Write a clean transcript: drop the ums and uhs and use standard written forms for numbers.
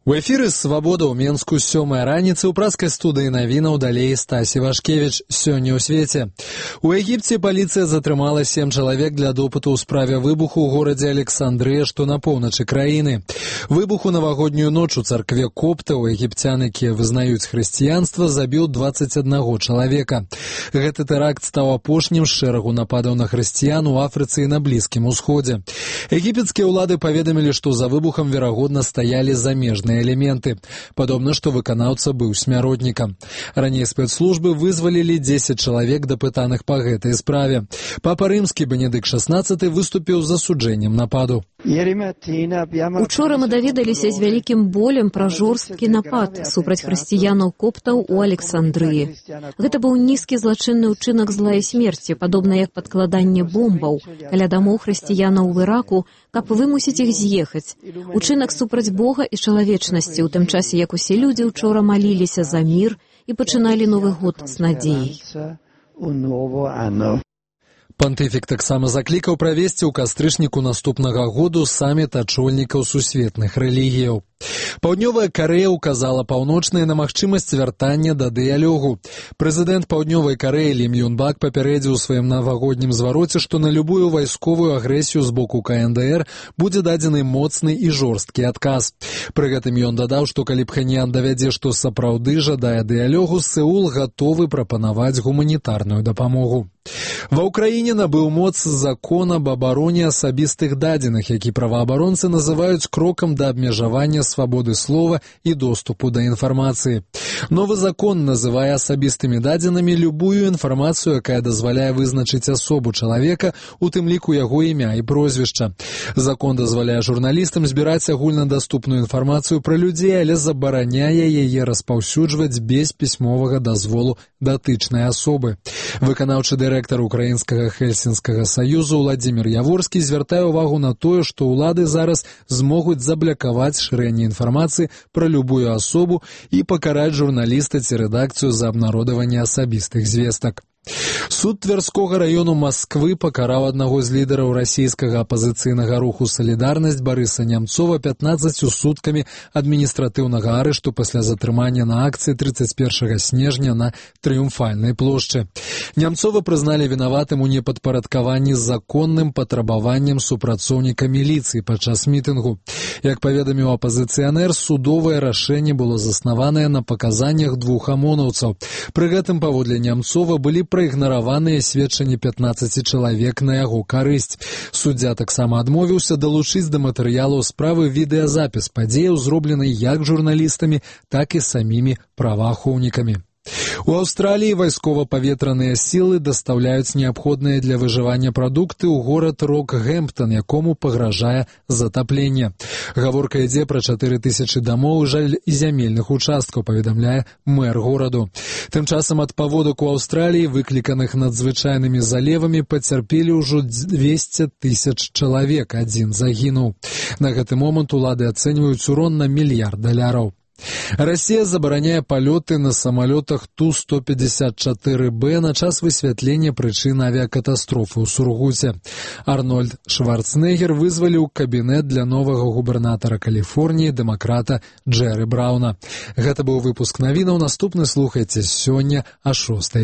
У эфіры «Свабода» ў Менску 7 раніцы ў праскай студыі навінаў далей Стасі Вашкевіч. Сёння ў свеце. У Егіпце паліцыя затрымала 7 чалавек для допыту ў справе выбуху ў горадзе Александрыя, што на поўначы краіны. Выбух у навагоднюю ноч у царкве коптаў егіпцян, якія вызнаюць хрысціянства, забіў 21 чалавека. Гэты тэракт стаў апошнім з шэрагу нападаў на хрысціян у Афрыцы і на Блізкім Усходзе. Егіпецкія ўлады паведамілі, што за выбухам верагодна стаялі замежныя элементы. Падобна, што выканаўца быў смяротнікам. Раней спецслужбы вызвалілі 10 чалавек, дапытаных па гэтай справе. Папа Рымскі Бенедыкт XVI выступіў з засуджэннем нападу. Учора мы даведаліся з вялікім болем пра жорсткі напад супраць хрысціянаў-коптаў у Александрыі. Гэта быў нізкі злачынны ўчынак зла і смерці, падобна як падкладанне бомбаў каля дамоў хрысціянаў в Іраку, каб вымусіць іх з'ехаць. Учынак супраць Бога і чалавечнасці, у тым часе, як усе людзі ўчора маліліся за мір і пачыналі Новы год з надзеяй. Пантыфік таксама заклікаў правесці ў кастрычніку наступнага году саміт ачольнікаў сусветных рэлігіяў. Паўднёвая Карэя ўказала паўночнай на магчымасць вяртання да дыялогу. Прэзідэнт Паўднёвай Карэі Лім Юн Бак папярэдзіў у сваім навагоднім звароце, што на любую вайсковую агрэсію з боку КНДР будзе дадзены моцны і жорсткі адказ. Пры гэтым ён дадаў, што калі Пхеньян давядзе, што сапраўды жадае дыялогу, Сеул гатовы прапанаваць гуманітарную дапамогу. Ва ўкраіне набыў моц закон аб абароне асабістых дадзеных, які праваабаронцы называюць крокам да абмежавання свабоды слова і доступу да інфармацыі. Новы закон называе асабістымі дадзенымі любую інфармацыю, якая дазваляе вызначыць асобу чалавека, у тым ліку яго імя і прозвішча. Закон дазваляе журналістам збіраць агульнадаступную інфармацыю пра людзей, але забараняе яе распаўсюджваць без пісьмовага дазволу датычнай асобы. Выканаўчы дырэктар Украінскага Хельсінскага саюзу Владзімір Яворскі звяртае ўвагу на тое, што ўлады зараз змогуць заблакаваць шырэнне інфармацыі пра любую асобу і пакараць журналіста ці рэдакцыю за абнародаванне асабістых звестак. Суд Тверскога раёну Масквы пакараў аднаго з лідараў расійскага апазіцыйнага руху «Салідарнасць» Барыса Нямцова 15 суткамі адміністратыўнага арышту пасля затрымання на акцыі 31 снежня на Трыумфальнай плошчы. Нямцова прызналі вінаватым у непадпарадкаванні законным патрабаваннем супрацоўніка міліцыі падчас мітынгу. Як паведаміў апазіцыянер, судовае рашэнне было заснаванае на паказаннях двух амонаўцаў. Пры гэтым, паводле Нямцова, былі праігнараваныя сведчанні 15 чалавек на яго карысць. Суддзя таксама адмовіўся далучыць да матэрыялаў справы відэазапіс падзеяў, зроблены як журналістамі, так і самімі праваахоўнікамі. У Аўстраліі вайскова-паветраныя сілы дастаўляюць неабходныя для выжывання прадукты ў горад Рокгемптон, якому пагражае затапленне. Гаворка ідзе пра 4000 дамоў і зямельных участкаў, паведамляе мэр гораду. Тым часам ад паводак у Аўстраліі, выкліканых надзвычайнымі залевамі, пацярпелі ўжо 200 000 чалавек, адзін загінуў. На гэты момант улады ацэньваюць урон на $1 мільярд. Расія забараняе палёты на самалётах Ту-154Б на час высвятлення прычын авіякатастрофы ў Сургуце. Арнольд Шварценеггер вызваліў кабінет для новага губернатара Каліфорніі, дэмакрата Джэры Брауна. Гэта быў выпуск навінаў. Наступны слухайце сёння а 6.